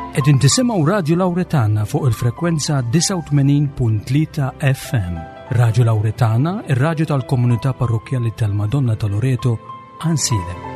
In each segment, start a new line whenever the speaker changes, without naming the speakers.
Qegħdin tisimgħu Radju Lawretana fuq il-frekwenza 89.3 FM. Radju Lawretana, ir-radju tal-komunità parrokkjali tal-Madonna ta' Loreto, Ansilem.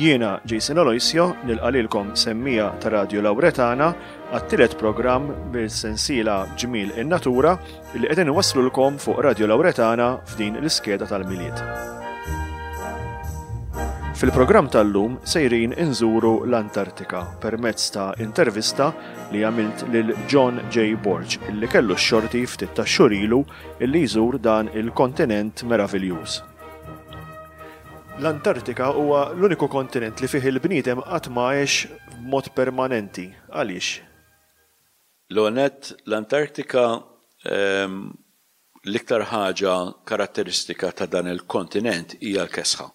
Jiena Jason Aloisio nilqa' lilkom semmija ta' Radio Lawretana għat-tielet programm bil-sensiela Ġmiel in-Natura li qegħdin iwasslulkom fuq Radio Lawretana f'din l-iskeda tal-Milied. Fil-programm tal-lum sejrin inżuru l-Antartika permezz ta' intervista li għamilt lil John J. Borg illi kellu x-xorti ftit tax-xhur ilu illi jżur dan il-kontinent meraviljuż. L-Antartika huwa l-uniku kontinent li fih il-bniedem qatt ma għex b'mod permanenti. Għaliex?
L-ewwel nett, l-Antartika l-iktar ħaġa karatteristika ta' dan il-kontinent hija l-kesħa.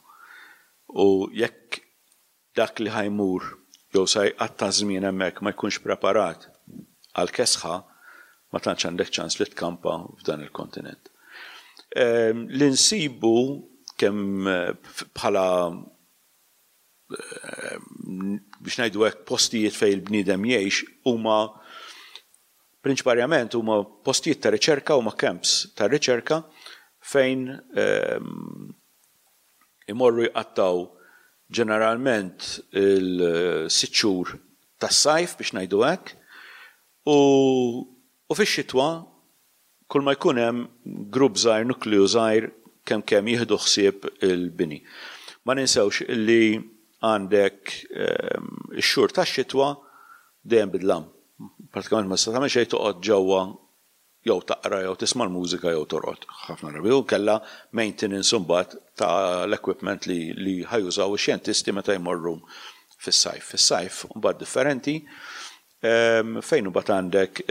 U jekk dak li ħa jmur jew sa jqatta' żmien hemmhekk ma jkunx preparat għall-kesħa, ma tantx għandek ċans li tkampa f'dan il-kontinent. Li nsibu kemm bħala biex ngħidu hekk postijiet fejn il-bniedem jgħix huma prinċiparjament huma postijiet ta' riċerka huma camps ta' riċerka fejn ehm, imorru jqattgħu ġeneralment il-sitt xhur tas-sajf biex ngħidu hekk u, u fix-xitwa Kull ma jkun hemm grupp żgħir, nukleu żgħir kemm kemm jieħdu ħsieb il-bini. Ma ninsewx li għandek ix-xhur tax-xitwa dejjem bid-dlam. Pratikament ma tista' tagħmel xejn toqgħod ġewwa jew taqra jew tisma' l-mużika jew torqod ħafna drabi u inkella maintenance imbagħad ta' l-equipment li li ħa jużaw ix-xjentisti meta jmorru fis-sajf. Fis-sajf imbagħad differenti fejn imbagħad għandek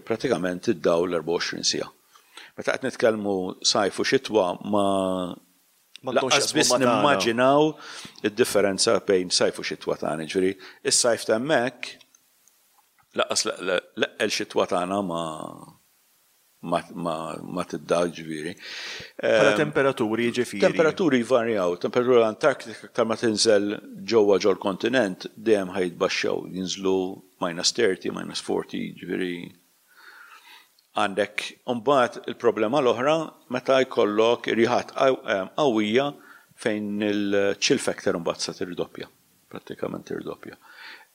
pratikament id-dawl 24 siegħa. Meta qed nitkellmu sajf u xitwa ma lanqas biss nimmaġinaw id-differenza bejn sajf u xitwa tagħna. Jiġifieri is-sajf ta' hemmhekk lanqas l-eqqel xitwa tagħna ma ma tidda ġifieri.
Bħala temperaturi jiġifieri.
Temperaturi jvarjaw, temperatura l-Antarktika aktar ma tinżel ġewwa ġol-kontinent dejjem ħa jitbaxxew, jinżlu minus 30, minus 40, ġifieri għandek imbagħad il-problema l-oħra meta jkollok irjiħat qawwija fejn il-chill factor imbagħad sa tirdoppja, prattikament tirdoppja.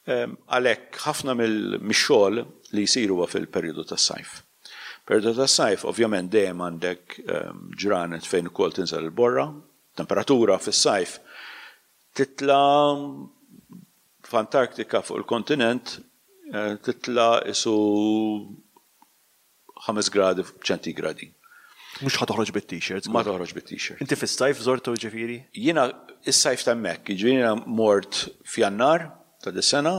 Għalhekk ħafna mix-xogħol li jsir huwa fil-perjodu tas-sajf. Perjodu tas-sajf ovvjament dejjem għandek ġranet fejn ukoll tinżel il-borra, temperatura fis-sajf titla' f'Antarktika fuq il-kontinent titla' isu 5 gradi ċentigradi.
Mhux ħa toħroġ bit-t-shirt.
Ma toħroġ bit-t-shirt.
Inti fis-sajf żortu ġifieri?
Jiena is-sajf ta' hemmhekk, jiġifieri jiena mort f'Jannar ta' dis-sena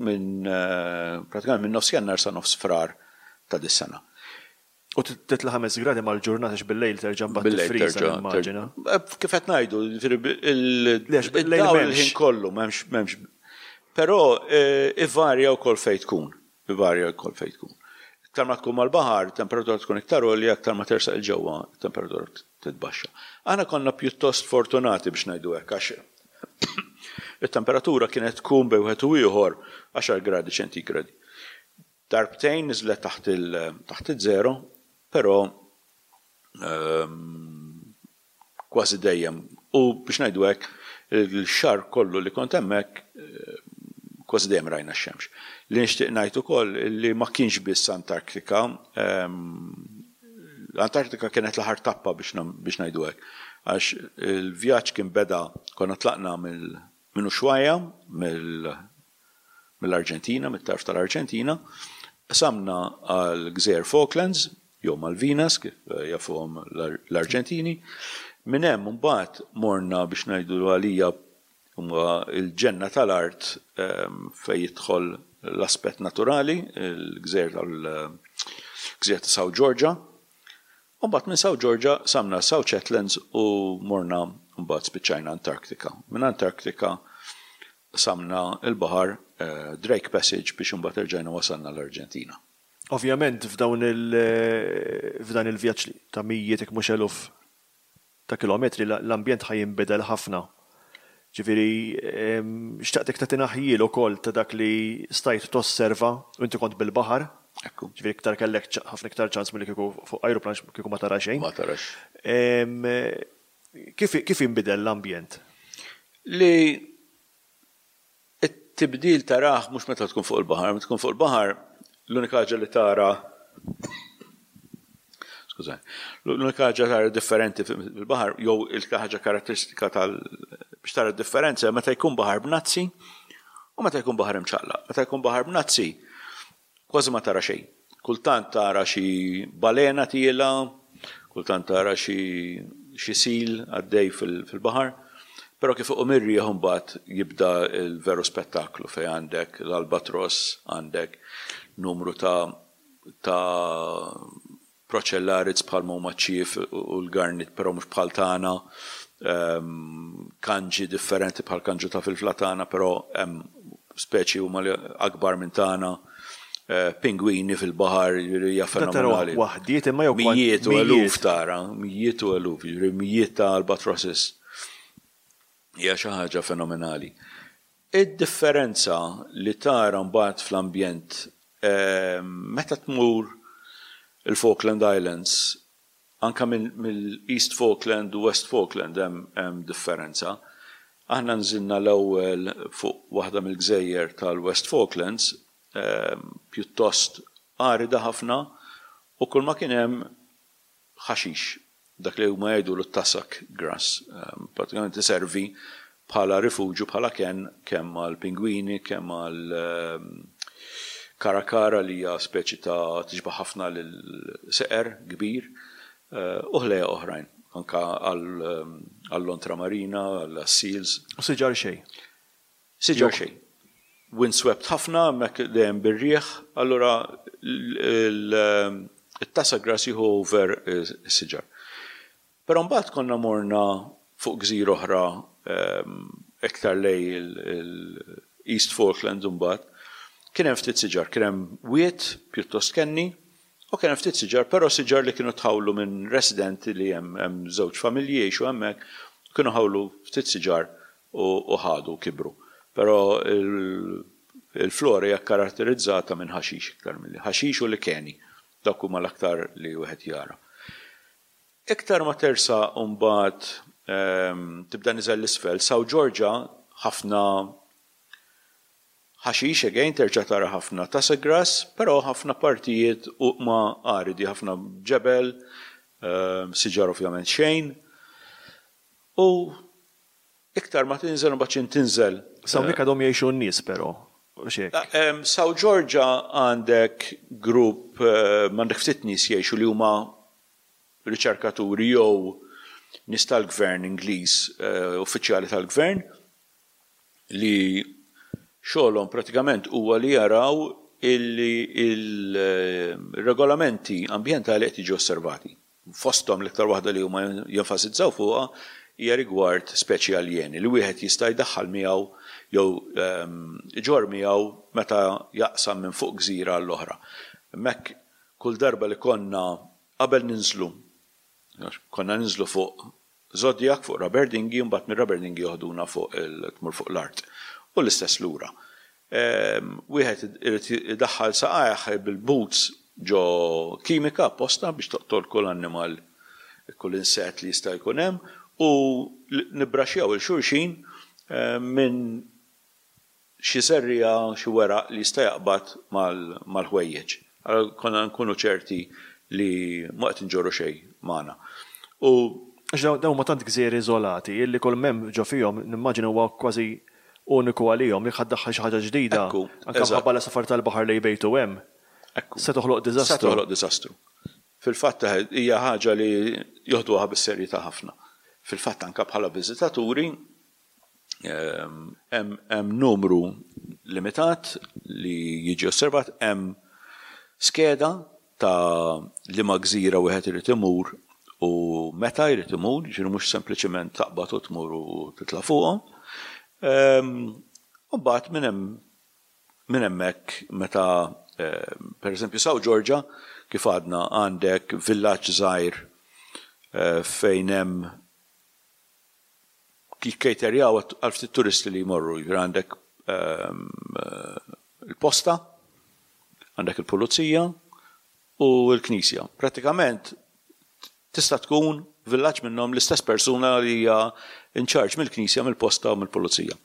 minn pratikament minn nofs Jannar sa nofs Frar ta' dis-sena.
U titla' 5 gradi mal-ġurnata għax bil-lejl terġa' mbagħad tiffriża nimmaġina.
Kif qed ngħidu, jiġifieri il-dawl il-ħin kollu m'hemmx m'hemmx. Però ivarja wkoll fejn tkun. Ivarja wkoll fejn tkun. Iktar ma tkun mal-baħar, temperatura tkun iktar għolja, iktar ma tersaq 'il ġewwa, temperatura titbaxxa. Aħna konna pjuttost fortunati biex ngħidu hekk għax it-temperatura kienet tkun bejn wieħed u ieħor għaxar gradi ċentigradi. Darbtejn niżlet taħt il taħt iż-żero, però kważi dejjem u biex ngħidu hekk il-xahar kollu li kont hemmhekk kważi dejjem rajna x-xemx. Li nixtieq ngħid ukoll li ma kienx biss Antarktika, l-Antarktika kienet l-aħħar tappa biex ngħidu hekk għax il-vjaġġ kien beda konna tlaqna minn Ushuaia, mill mill-Arġentina, mit-tarf tal-Arġentina, qsamna għal gżejjer Falklands, jew Malvinas kif jafuhom l-Arġentini. Minn hemm imbagħad morna biex ngħidu għalija huma l-ġenna tal-art fejn jidħol l-aspett naturali, il-gżejjer tal-gżejjer ta' South Georgia. U mbagħad minn South Georgia qsamna South Shetlands u morna mbagħad spiċċajna Antarctica. Minn Antarctica qsamna l-baħar Drake Passage biex imbagħad erġajna wasalna l-Arġentina.
Ovvjament f'dawn il f'dan il-vjaġġ ta' mijiet jekk mhux eluf ta' kilometri l-ambjent ħa jinbidel ħafna. Ġifieri xtaqtek tagħtina ħjiel ukoll ta' dak li stajt tosserva u inti kont bil-baħar.
Ekku.
Ġifieri iktar kellek ħafna iktar ċans milli kieku fuq ajruplan kieku ma tara xejn.
Ma tarax.
Kif kif inbidel l-ambjent?
Li It-tibdil tarah mhux meta tkun fuq il-baħar, meta tkun fuq il-baħar l-unika ħaġa li tara skużani, l-unika ħaġa tara differenti fil-baħar jew il-ħaġa karatteristika tal biex tara d-differenza meta jkun baħar b'nazzi u meta jkun baħar imċaqlaq. Meta jkun baħar b'nazzi Kważi ma tara xejn. Kultant tara xi balena tiela', kultant tara xi xi sil għaddej fil-baħar, però kif iqum ir-riħ imbagħad jibda l-veru spettaklu fejn għandek l-albatross, għandek numru ta' ta' Procellarids bħalma huma ċ-ċief u l-garnit però mhux bħal tagħna, kanġi differenti bħal kanġu ta' filfla tagħna però hemm speċi huma li akbar minn tagħna, pingwini fil-baħar, jiġifieri hija fenomenali.
Tara waħdiet imma jew
Mijiet u eluf tara, mijiet u eluf, jiġifieri mijiet ta' albatrosses. Hija xi ħaġa fenomenali. Id-differenza li tara mbagħad fl-ambjent meta tmur il-Falkland Islands, anke mill-East Falkland u West Falkland hemm differenza. Aħna nżilna l-ewwel fuq waħda mill-gżejjer tal-West Falklands, pjuttost arida ħafna u kulma kien hemm ħaxix, dak li huma jgħidulu t-tussock grass, pratikament iservi bħala rifuġju, bħala kenn kemm għall-pingwini, kemm għal karakara li hija speċi ta' tixbah ħafna lil seqer kbir u ħlejjaq oħrajn, anke għall-lontra marina, għas-seals.
U siġar xejn?
Siġar xejn. Windswept ħafna, hemmhekk dejjem bir-riħ, allura it-tassagrass jieħu over is-siġar. Però mbagħad konna morna fuq gżira oħra iktar lejn il-East Falklands imbagħad, kien hemm ftit siġar, kien hemm wied pjuttost kenni u kien hemm ftit siġar, però siġar li kienu tħawlu minn residenti li hemm hemm żewġ familji jgħixu hemmhekk, kienu ħawlu ftit siġar u ħadu u kibru. Però il-flora hija kkaratterizzata minn ħaxix iktar milli ħaxix u likeni. Dawk huma l-aktar li wieħed jara. Iktar ma tersaq mbagħad tibda niżel 'l isfel, South Georgia ħafna ħaxix again terġa' tara ħafna tussock grass, però ħafna partijiet huma aridi, ħafna ġebel, siġar ovvjament xejn. U iktar ma tinżel imbagħad x'int tinżel.
S'hawnhekk għadhom jgħixu n-nies però, hux
hekk? South Georgia għandek grupp, għandek ftit nies jgħixu li huma riċerkaturi jew nies tal-gvern Ingliż, uffiċjali tal-gvern, li xogħolhom pratikament huwa li jaraw illi l-regolamenti ambjentali qed jiġu osservati. Fosthom l-iktar waħda li huma jenfasizzaw fuqha hija rigward speċi aljeni li wieħed jista' jdaħħal miegħu jew iġorr miegħu meta jaqsam minn fuq gżira għall-oħra. Hemmhekk kull darba li konna qabel ninżlu, konna ninżlu fuq Zodiac fuq rubber dinghy u mbagħad mir-rubber dinghy joħduna fuq il tmur fuq l-art. U l-istess lura. Wieħed irid idaħħal saqajh bil-boots ġo kimika apposta biex toqtol kull annimal, kull insett li jista' jkun hemm u nibbraxxjaw 'il xulxin minn xi żerriegħa, xi weraq li jista' jaqbad mal-ħwejjeġ. Allura konna nkunu ċerti li ma qed inġorru xejn magħna. U.
Għax dawn huma tant gżejjer iżolati illi kull m'hemm ġo fihom nimmaġina huwa kważi uniku għalihom. Jekk ħa ddaħħal xi ħaġa ġdida, anke minħabba l-għasafar tal-baħar li jbejtu hemm, se toħloq diżastru.
Se toħloq diżastru. Fil-fatt hija ħaġa li joħduha bis-serjetà ħafna. Fil-fatt anke bħala viżitaturi Hemm numru limitat li jiġi osservat, hemm skeda ta' liema gżira wieħed irid imur u meta jrid imur, jiġifieri mhux sempliċement taqbad u tmur u titla' fuqhom. U mbagħad minn hemm minn hemmhekk meta pereżempju South Georgia kif għadna għandek villaġġ żgħir fejn hemm jikkejterjaw għal ftit turisti li jmorru, jiġifieri għandek il-posta, għandek il-pulizija u l-knisja. Prattikament tista' tkun villaġġ minnhom l-istess persuna li hija in charge mill-knisja, mill-posta u mill-pulizija.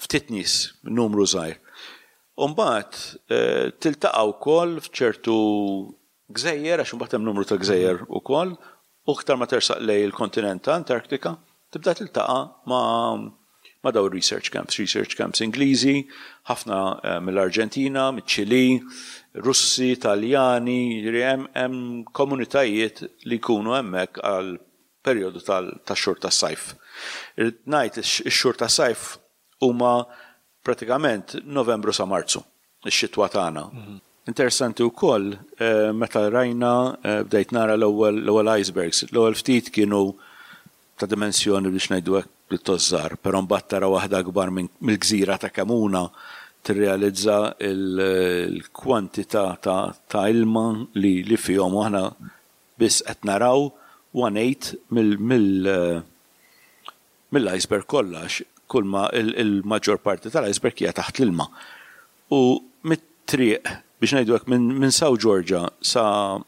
Ftit nies, numru żgħir. U mbagħad tiltaqa' wkoll f'ċertu gżejjer, għax imbagħad hemm numru ta' gżejjer ukoll, u iktar ma tersaq lejn il-kontinent ta' Antarktika, tibda tiltaqa' ma' ma' dawn ir-research camps, research camps Ingliżi, ħafna mill-Arġentina, miċ-Ċilì, Russi, Taljani, jiġifieri hemm hemm komunitajiet li jkunu hemmhekk għal perjodu tax-xhur tas-sajf. Irrid ngħid ix-xhur tas-sajf huma Pratikament Novembru sa Marzu, ix-xitwa tagħna. Interessanti wkoll meta rajna bdejt nara l-ewwel l-ewwel icebergs. L-ewwel ftit kienu ta' dimensjoni biex ngħidu hekk pjuttost żgħar, però mbagħad tara waħda akbar mill-gżira ta' Kemuna tirrealizza l-kwantità ta' ilma li fihom u aħna biss qed naraw one eighth mill mill-iceberg kollha għax kulma il-maġġor parti tal-iceberg hija taħt l-ilma. U mit-triq, biex ngħidu hekk, minn South Georgia sa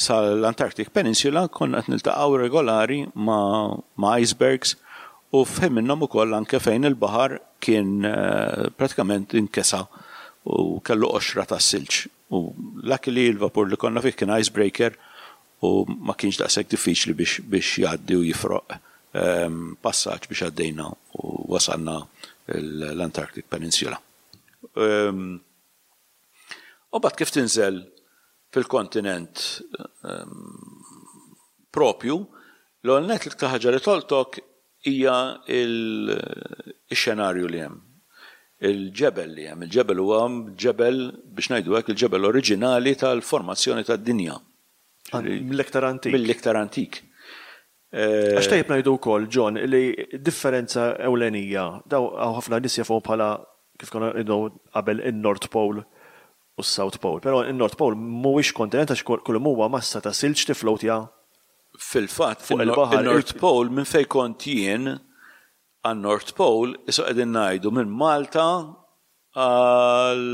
sal-Antarctic Peninsula konna qed niltaqgħu regolari ma' icebergs u f'ħin minnhom ukoll anke fejn il-baħar kien pratikament inkesa u kellu qoxra tas-silġ. U luckily l-vapur li konna fih kien icebreaker u ma kienx daqshekk diffiċli biex biex jgħaddi u jifroq passaġġ biex għaddejna u wasalna l-Antarctic Peninsula. U mbagħad kif tinżel fil-kontinent propju, l-ewwel nett l-iktar ħaġa li tolqtok hija x-xenarju li hemm, il-ġebel li hemm. Il-ġebel huwa ġebel, biex ngħidu hekk, il-ġebel oriġinali tal-formazzjoni tad-dinja.
Mill-iktar antik.
Mill-iktar antik.
Għax tajjeb ngħidu wkoll, John, li d-differenza ewlenija, dawn hawn ħafna nies jafuhom bħala, kif konna ngħidu qabel, in-North Pole u s-South Pole. Però in-North Pole mhuwiex kontinent għax kull m'huwa massa ta' silġ tifflowtja
Fil-fatt, fuq il-baħar. In-North Pole minn fejn kont jien għan-North Pole qisu qegħdin ngħidu minn Malta għal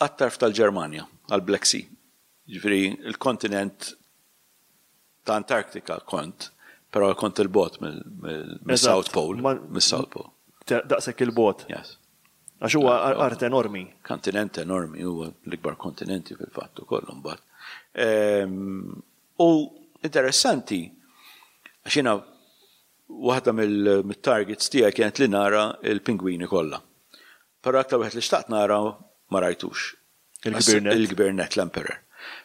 għat-tarf tal-Ġermanja, għall-Black Sea. Jiġifieri l-kontinent ta' Antarktika kont, però kont 'il bogħod mill-South Pole. Mis-South Pole.
Daqshekk 'il bogħod.
Yes.
Għax huwa art enormi.
Kontinent enormi, huwa l-ikbar kontinenti fil-fatt ukoll imbagħad. U interessanti, għax jiena waħda mill-targets tiegħi kienet li nara l-pingwini kollha. Però aktar wieħed li xtaqt nara ma rajtux.
Il-kbir nett.
Il-kbir nett, l-Emperor.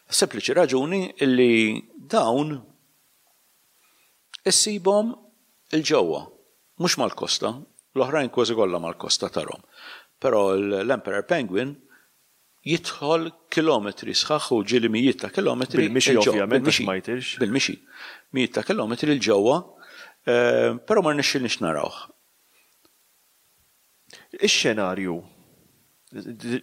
Sempliċi raġuni li dawn issibhom 'il ġewwa, mhux mal-kosta, l-oħrajn kważi kollha mal-kosta tarhom. Però l-Emperor Penguin jidħol kilometri sħaħ u ġieli mijiet ta' kilometri.
Bil-mixi ovvjament għax ma jtirx.
Bil-mixi. Mijiet ta' kilometri 'l ġewwa, però ma rnexxilniex narawh.
Ix-xenarju,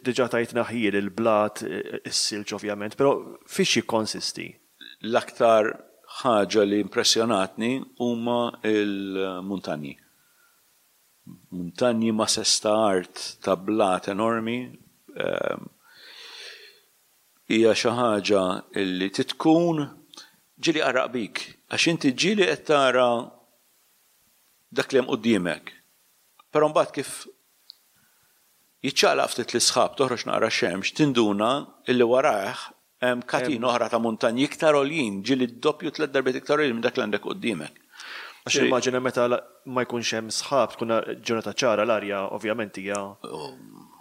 diġà tajtna ħjiel il-blat, is-silġ ovvjament, però fiex jikkonsisti?
L-aktar ħaġa li impressjonatni huma l-muntanji. Muntanji mases ta' art ta' blat enormi. Hija xi ħaġa li trid tkun ġieli qarraq bik għax inti ġieli qed tara dak li hemm quddiemek. Però mbagħad kif jiċċaqlaq ftit l-isħab, toħroġ naqra x-xemx, tinduna illi warajh hemm katina oħra ta' muntanji iktar għoljin, ġieli d-doppju tlett darbiet iktar għoljin minn dak li għandek quddiemek.
Għax nimmaġina meta ma jkunx hemm sħab tkun ġurnata ċara l-arja ovvjament hija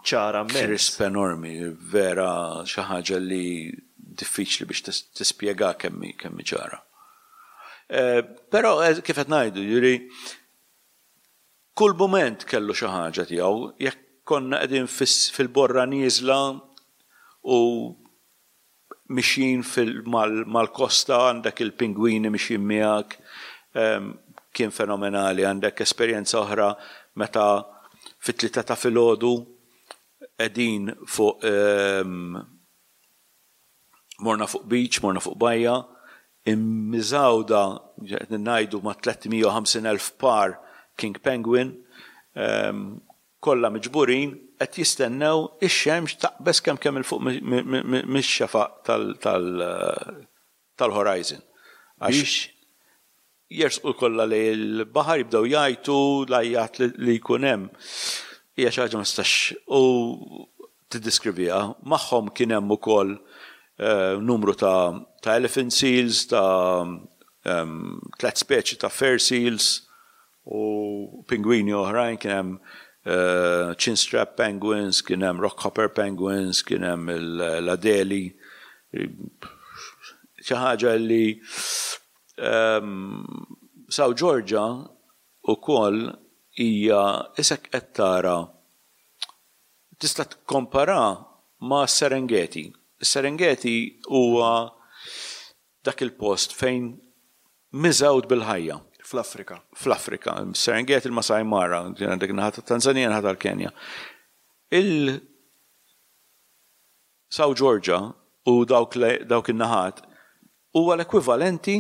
ċara
mmens. Crisp enormi, vera xi ħaġa li diffiċli biex tispjega kemm hi ċara. Però kif qed ngħidu, jiġifieri kull mument kellu xi ħaġa tiegħu, jekk Konna qegħdin fil-borra nieżla u mixjin mal-kosta, għandek il-pingwini mixjin miegħek, kien fenomenali. Għandek esperjenza oħra meta fit-tlieta ta' filgħodu qegħdin fuq morna fuq beach, morna fuq bajja, immiżgħuda, qed ngħidu ma' 350,000 par king penguin, kollha miġburin qed jistennew ix-xemx taqbeż kemm kemm 'il fuq mix-xefaq tal-horizon. Għax jersqu kollha lejn il-baħar jibdew jgħajtu, l-għajjat li jkun hemm hija xi ħaġa ma tistax u tiddeskriviha. Magħhom kien hemm ukoll numru ta' elephant seals, ta' tlett speċi ta' fur seals, U pingwini oħrajn, kien hemm chinstrap penguins, kien hemm rockhopper penguins, kien hemm l-adeli. Xi ħaġa li South Georgia wkoll hija isek qed tara tista' tikkompara ma' Serengeti. Is-Serengeti huwa Dak il-post fejn miżgħud bil-ħajja.
Fl-Afrika.
Fl-Afrika. Serengeti, il-Masai Mara, għandek naħa tat-Tanzania, naħa tal-Kenja. Il South Georgia u dawk dawk in-naħat huwa l-ekwivalenti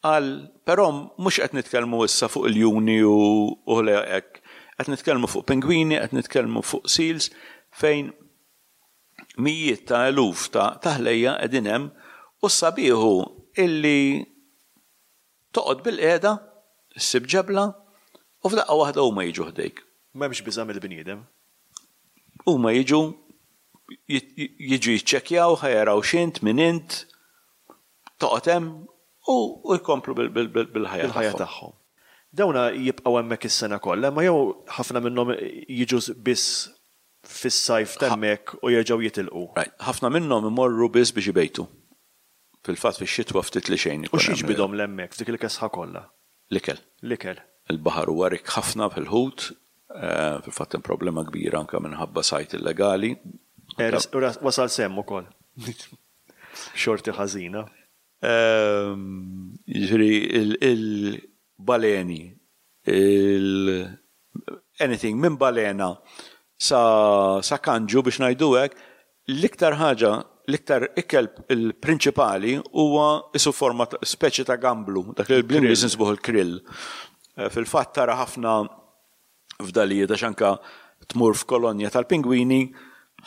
għal però mhux qed nitkellmu issa fuq iljuni u ħlejjaq hekk. Qed nitkellmu fuq pingwini, qed nitkellmu fuq seals fejn mijiet ta' eluf ta' ta' ħlejja qegħdin hemm u s-sabiħ hu illi toqgħod bilqiegħda, issib ġebla u f'daqqa waħda huma jiġu ħdejk.
M'hemmx biża' mill-bniedem.
Huma jiġu jiġu jiċċekkjaw ħa jaraw x'int, min int, toqgħod hemm u jkomplu bil-ħajja
Bil-ħajja tagħhom. Dawna jibqgħu hemmhekk is-sena kollha, imma jew ħafna minnhom jiġu biss fis-sajf t'hemmhekk u jerġgħu jitilqu.
Right. Ħafna minnhom imorru biss biex ibejtu. Fil-fatt fix-xitwa ftit li xejn
ikun hemm. U x'jiġbidhom 'l hemmhekk f'dik il-kesħa kollha?
L-ikel.
L-ikel.
Il-baħar huwa rikk ħafna fil-ħut. Fil-fatt hemm problema kbira anke minħabba sajd illegali.
U wasal s'hemm ukoll. Xorti ħażina.
Jiġifieri il-baleni, il anything minn balena sa sa kanġu biex ngħidu hekk, l-iktar ħaġa, l-iktar ikel il-prinċipali huwa isu forma ta' speċi ta' gamblu, dak li bl-Ingliż nsibuh il-krill. Fil-fatt tara ħafna fdalijiet għax anke tmur f'kolonja tal-pingwini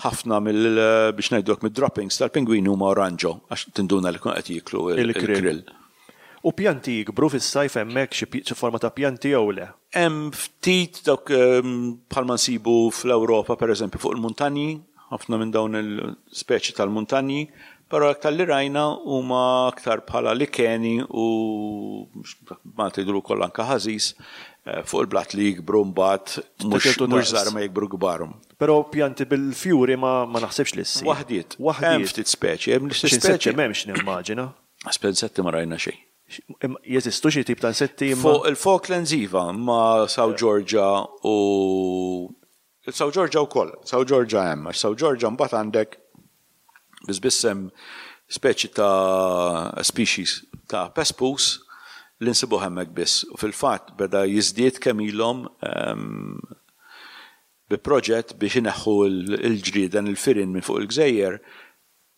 ħafna mill biex ngħidu hekk mid-droppings tal-pingwini huma oranġo għax tinduna li jkunu qed jieklu l-krill.
U pjanti jikbru fis-sajf hemmhekk xi forma ta' pjanti jew le?
Hemm ftit dawk bħalma nsibu fl-Ewropa pereżempju fuq il-muntanji, ħafna minn dawn il-speċi tal-muntanji, però aktar li rajna huma aktar bħala likeni u Malta jgħidulu wkoll anke ħażiż fuq il-blat li jikbru mbagħad mhux żgħar ma jikbru kbar.
Però pjanti bil-fjuri ma naħsibx li ssib.
Waħdiet. Waħdiet. Hemm ftit speċi, hemm
xi speċi. M'hemmx nimmaġina.
Insetti ma rajna xejn.
Jeżistu xi tip ta' insetti
imma. Fuq il-Falklands iva, ma' South Georgia u South Georgia wkoll. South Georgia hemm, għax South Georgia mbagħad għandek biss biss hemm speċi ta' species ta' pespus li nsibuh hemmhekk biss. U fil-fatt beda jiżdied kemm ilhom bi proġett biex ineħħu l-ġrieden, il-firien minn fuq il-gżejjer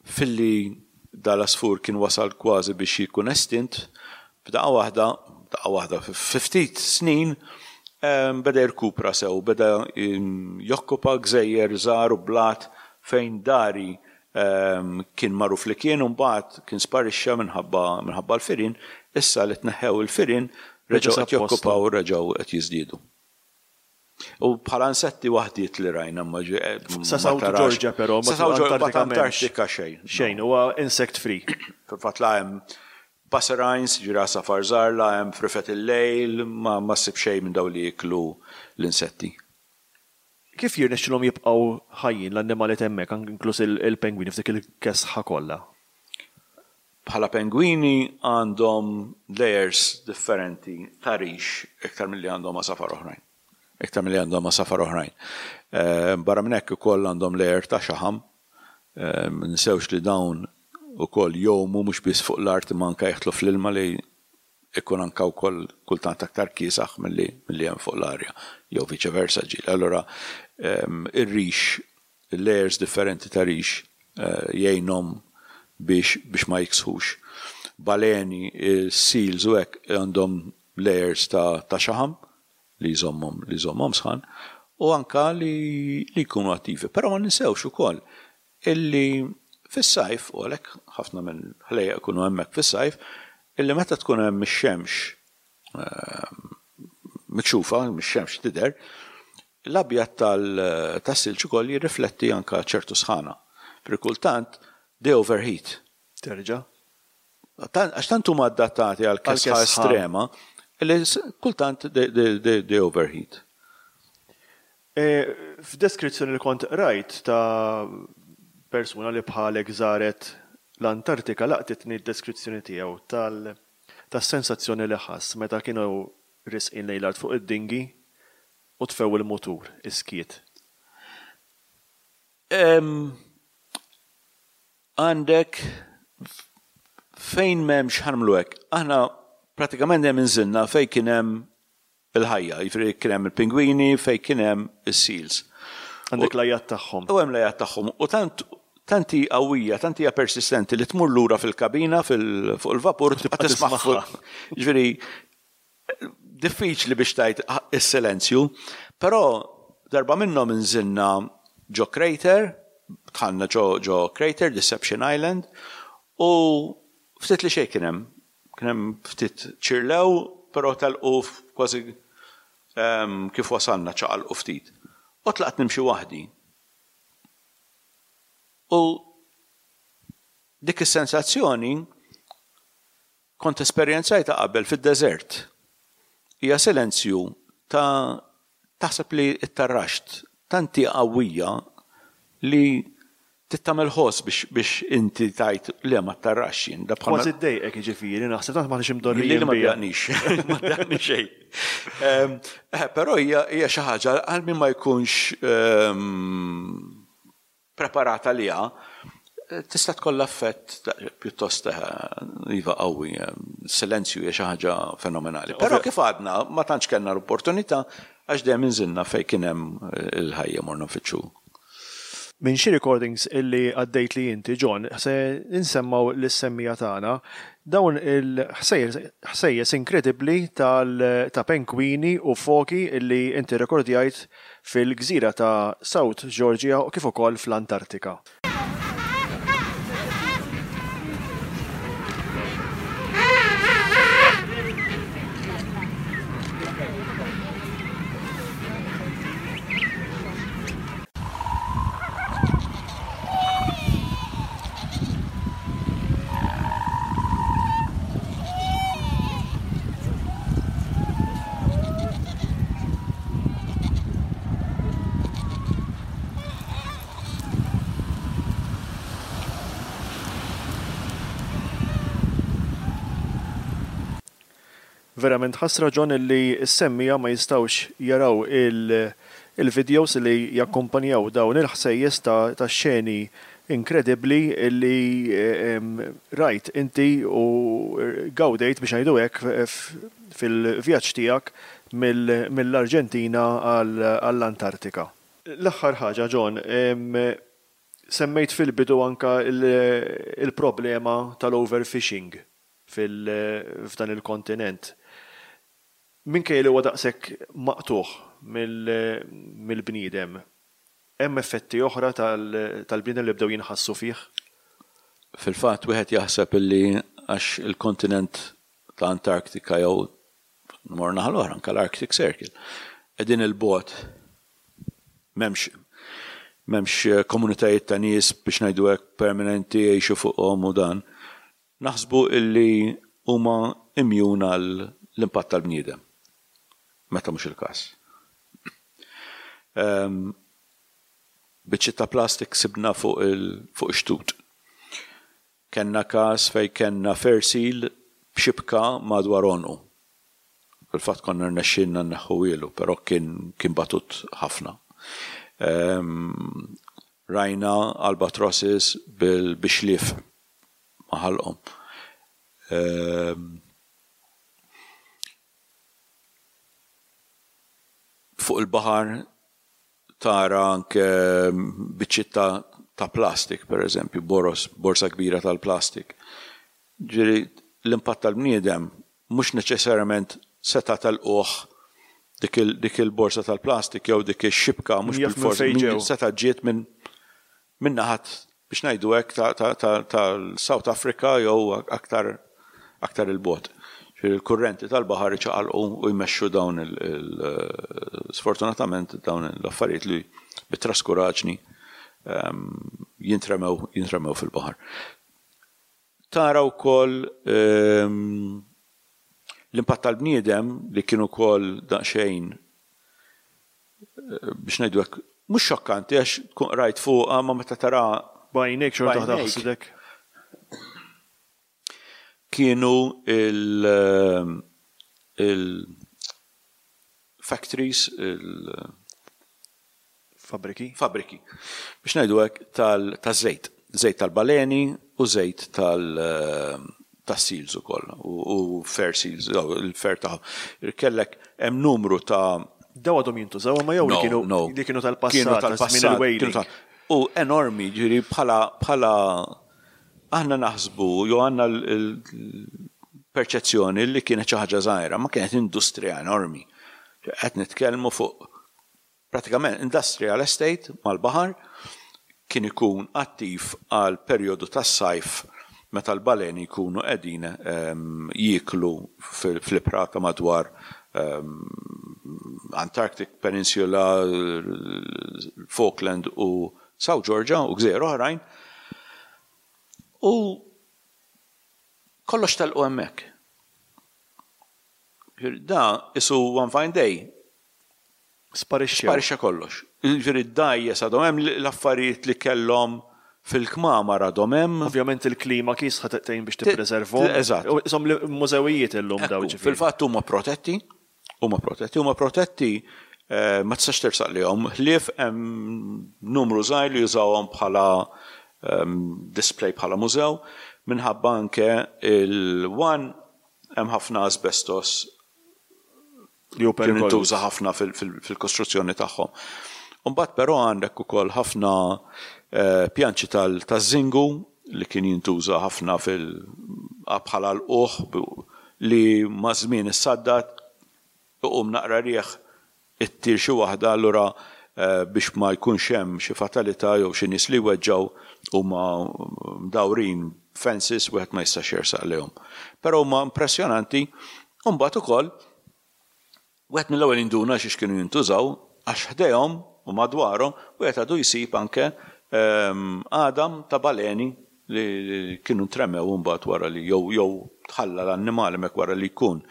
Filli dal-għasfur kien wasal kważi biex jkun estint, f'daqqa waħda, daqqa waħda, fi ftit snin, beda jirkupra sew, beda jokkupa gżejjer żgħar u blat fejn dari kien magħruf li kien u mbagħad kien sparixxa minħabba minħabba l-firien, issa li tneħħew il-firien reġgħu qed jokkupaw u reġgħu qed jiżdiedu. U bħala insetti waħdiet li rajna ma
Sa South Georgia però,
ma Sa South Georgia, Antartika xejn.
Xejn, huwa insect free.
Fil-fatt la hemm passerines, ġifieri għasafar żgħar, la hemm frifet il-lejl, ma ssib xejn minn dawn li jieklu l-insetti.
Kif jirnexxilhom jibqgħu ħajjin l-annimali t'hemmhekk, inkluż il-pengwini f'dik il-kesħa kollha?
Bħala pengwini għandhom layers differenti ta' rix iktar milli għandhom għasafar oħrajn. Iktar milli għandhom għasafar oħrajn. Barra minn hekk ukoll għandhom layer ta' xaħam. Ninsewx li dawn ukoll jgħumu mhux biss fuq l-art imma anke jidħlu fl-ilma li ikun anke wkoll kultant aktar kiesaħ milli milli hemm fuq l-arja jew viċe versa ġieli. Allura ir-rix, il-layers differenti ta' rix jgħinhom biex biex ma jiksħux. Baleni, seals u hekk għandhom layers ta' ta' xaħam li jżommhom li jżommhom sħan u anke li li jkunu attivi. Però ma ninsewx ukoll illi fis-sajf, u għalhekk ħafna mill-ħlejjaq ikunu hemmhekk fis-sajf, illi meta tkun hemm ix-xemx mikxufa, ix-xemx tidher, l-abjad tas-silġ ukoll jirrifletti anke ċertu sħana. Per kultant they overheat.
Terġa'?
Għax tant huma adattati għal kesħa estrema li kultant they overheat.
F'deskrizzjoni li kont qrajt ta' persuna li bħalek żaret l-Antartika laqtitni d-deskrizzjoni tiegħu tas-sensazzjoni li ħass meta kienu riesqin lejn l-art fuq id-dinghy u tfew il-mutur, is-skiet.
Għandek fejn m'hemmx, ħa nagħmlu hekk, aħna pratikament dejjem inżilna fejn kien hemm il-ħajja, jiġifieri kien hemm il-pingwini, fejn kien hemm is-seals.
Għandek l-għajat tagħhom.
U hemm l-għajat tagħhom. U tant tant hi qawwija, tant hija persistenti li tmur lura fil-kabina fuq il-vapur tibqa' tismagħha. Jiġifieri diffiċli biex tgħid is-silenzju, però darba minnhom inżilna ġo crater, dħalna ġo ġo crater, Deception Island, u ftit li xejn kien hemm. Kien hemm ftit ċirlew, però telqu kważi kif wasalna ċaqalqu ftit. U tlaqt nimxi waħdi. U dik is-sensazzjoni kont esperjenzajtha qabel fid-deżert. Hija silenzju ta' taħseb li ttarraxt, tant hi qawwija li trid tagħmel ħoss biex biex inti tgħid le ma ttarraxx jien. Da
bħal Kważi ddejqek jiġifieri naħseb tant m'aħniex imdorrijin
Lili ma ddejjaqnix, ma ddejjaqni xejn. Però hija hija xi ħaġa għal min ma jkunx preparat għaliha, tista' tkollha effett pjuttost iva qawwi. Silenzju hija xi ħaġa fenomenali. Però kif għadna ma tantx kellna l-opportunità għax dejjem inżilna fejn kien hemm il-ħajja morna nfittxu.
Minn xi recordings illi għaddejtli inti John, se nsemmgħu lis-semmiegħa tagħna dawn il-ħsejjes inkredibbli ta' penkwini u foki illi inti rrekordjajt fil-gżira ta' South Georgia u kif ukoll fl-Antartika. Verament ħasra John illi s-semmiegħa ma jistgħux jaraw il-videos li jakkumpanjaw dawn il-ħsejjes ta' xeni inkredibbli li rajt inti u gawdejt biex ngħidu hekk fil-vjaġġ tiegħek mill-Arġentina għall-Antartika. L-aħħar ħaġa John, semmejt fil-bidu anke l-problema tal-overfishing f'dan il-kontinent. Minkejja li huwa daqshekk maqtugħ mill-bniedem, hemm effetti oħra tal-bniedem li bdew jinħassu fih?
Fil-fatt wieħed jaħseb illi għax il-kontinent ta' Antarktika jew nmorru naħa l-oħra anke l-Arctic Circle qegħdin 'il bogħod m'hemmx m'hemmx komunitajiet ta' nies biex ngħidu hekk permanenti jgħixu fuqhom u dan. Naħsbu illi huma immune għal l-impatt tal-bniedem, meta mhux il-każ. Biċċiet ta' plastik sibna fuq ix-xtut. Kellna każ fejn kellna fur seal b'xibka madwar għonqu. Fil-fatt konna rnexxielna nneħħuhielu, però kien kien batut ħafna. Ehm, rajna albatrosses bil-bixlief ma' ħalqhom. Ehm, fuq il-baħar tara anke biċċiet ta' ta' plastik, per eżempju, boros, borsa kbira tal-plastik. Ġifieri l-impatt tal-bniedem mhux neċessarjament seta' telquh dik il, dik il-borsa tal-plastik jew dik ix-xibka mhux
Min jaf minn
bilfors
fejn
min
ġew.
seta' ġiet minn minn naħat biex ngħidu hekk tal-South Africa jew aktar aktar 'il bogħod. Ġifieri l-kurrenti tal-baħar iċaqalqu u jmexxu dawn il sfortunatament dawn l-affarijiet li bi traskuraġni jintremew jintremew fil-baħar. Tara wkoll l-impatt tal-bniedem li kien ukoll daqsxejn biex ngħidu hekk mhux xokkanti għax tkun qrajt fuqha ma meta tara
B'għajnejk xorta waħda ħasdek.
Kienu il il-factories, il
Fabbriki.
Fabbriki. Biex ngħidu hekk taż-żejt. Żejt tal-baleni u żejt tal tas-seals ukoll u fair seals, il-fair ta' kellek hemm numru ta'
Daw għadhom jintużaw imma jew li kienu li kienu tal-passat,
kienu tal-passat. U enormi, ġifieri bħala bħala aħna naħsbu jew għandna l-perċezzjoni li kienet xi ħaġa żgħira, ma kienet industrija enormi. Qed nitkellmu fuq Pratikament industrial estate mal-baħar kien ikun attiv għal perjodu tas-sajf meta l-baleni jkunu qegħdin jieklu fl-ibħra ta' madwar Antarctic Peninsula, Falkland u South Georgia u gżejjer oħrajn. U kollox telqu hemmhekk. Da isu one fine day
Sparixxew.
Sparixxa kollox. Jiġifieri d-dgħajjes għadhom hemm, l-affarijiet li kellhom fil-kmamar għadhom hemm.
Ovvjament il-klima kiesħa tgħin biex tippreservhom.
Eżatt.
Ishom mużewijiet illum dawn ġifieri.
Fil-fatt huma protetti, huma protetti, huma protetti ma tistax tersaq lejhom ħlief hemm numru żgħir li jużawhom bħala display bħala mużew minħabba anke il-one hemm ħafna asbestos
Li hu
Kien
perikoluż.
intuża ħafna fil-kostruzzjoni tagħhom. Imbagħad però għandek ukoll ħafna pjanċi taż-żingu li kien jintuża ħafna fil bħala lqugħ li maż-żmien issaddad, iqum naqra riħ ittir xi waħda allura biex ma jkunx hemm xi fatalità jew xi nies li jweġġgħu huma mdawrin b'fences wieħed ma jistax jersaq lejhom. Però huma impressjonanti u mbagħad ukoll wieħed mill-ewwel jinduna xiex kienu jintużaw għax ħdejhom u madwarhom wieħed għadu jsib anke għadam ta' baleni li kienu ntremew imbagħad wara li jew jew tħalla l-annimal hemmhekk wara li jkun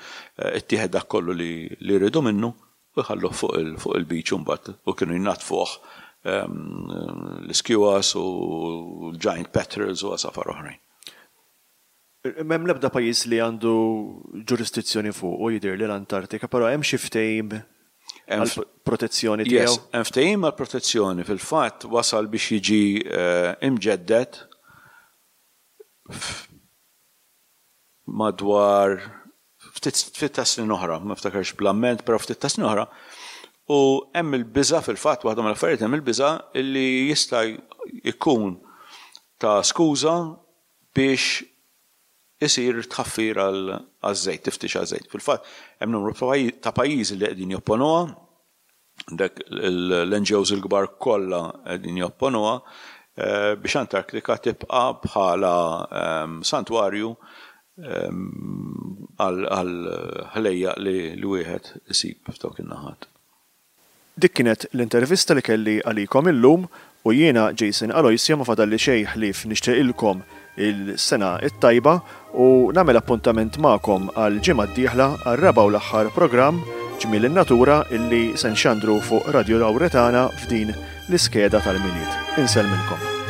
ittieħed dak kollu li li riedu minnu u jħalluh fuq il fuq il-beach imbagħad u kienu jnaddfuh l-iskuas u l-giant petrels u għasafar oħrajn.
M'hemm l-ebda pajjiż li għandu ġurisdizzjoni fuqu jidhirli l-Antartika, però hemm xi ftehim għall-protezzjoni tiegħu?
Yes, hemm ftehim għall-protezzjoni. Fil-fatt wasal biex jiġi imġedded madwar ftit ftit ta' snin oħra, ma niftakarx bl-amment, però ftit ta' snin oħra, u hemm il-biża' fil-fatt waħda mill-affarijiet hemm il-biża' li jista' jkun ta' skuża biex isir tħaffir għaż-żejt, tiftix għaż-żejt. Fil-fatt, hemm numru ta' pajjiżi li qegħdin jopponuha, għandek l-NGOs il-kbar kollha qegħdin jopponuha biex Antarktika tibqa' bħala santwarju għal ħlejjaq li wieħed isib f'dawk in-naħat.
Dik kienet l-intervista li kelli għalikom illum u jiena Jason Aloisio ma fadalli xejn ħlief nixtieqilkom il-sena t-tajba u nagħmel appuntament magħkom għall-ġimgħa d-dieħla għar-raba' u l-aħħar programm Ġmiel in-Natura illi se nxandru fuq Radio Lauretana f'din l-iskeda tal-Milied. Insellmilkom.